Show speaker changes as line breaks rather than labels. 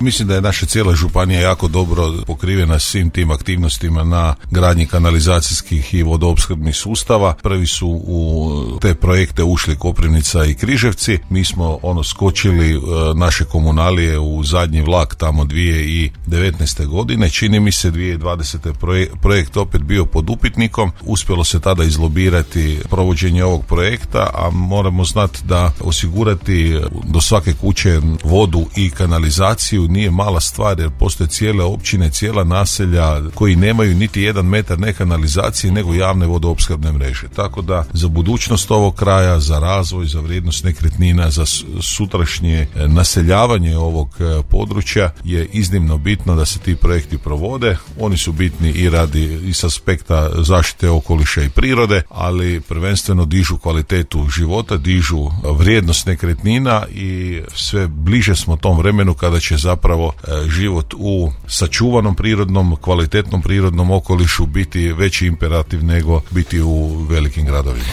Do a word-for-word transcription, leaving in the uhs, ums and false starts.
Mislim da je naša cijela županija jako dobro pokrivena svim tim aktivnostima na gradnji kanalizacijskih i vodoopskrbnih sustava. Prvi su u te projekte ušli Koprivnica i Križevci. Mi smo ono skočili e, naše komunalije u zadnji vlak tamo dvije tisuće devetnaeste. godine. Čini mi se dvije tisuće dvadesete. Projekt, projekt opet bio pod upitnikom. Uspjelo se tada izlobirati provođenje ovog projekta, a moramo znati da osigurati do svake kuće vodu i kanalizaciju nije mala stvar, jer postoje cijele općine, cijela naselja koji nemaju niti jedan metar ne kanalizacije nego javne vodoopskrbne mreže. Tako da za budućnost ovog kraja, za razvoj, za vrijednost nekretnina, za sutrašnje naseljavanje ovog područja je iznimno bitno da se ti projekti provode. Oni su bitni i radi i s aspekta zaštite okoliša i prirode, ali prvenstveno dižu kvalitetu života, dižu vrijednost nekretnina i sve bliže smo tom vremenu kada će zapravo život u sačuvanom prirodnom, kvalitetnom prirodnom okolišu biti veći imperativ nego biti u velikim gradovima.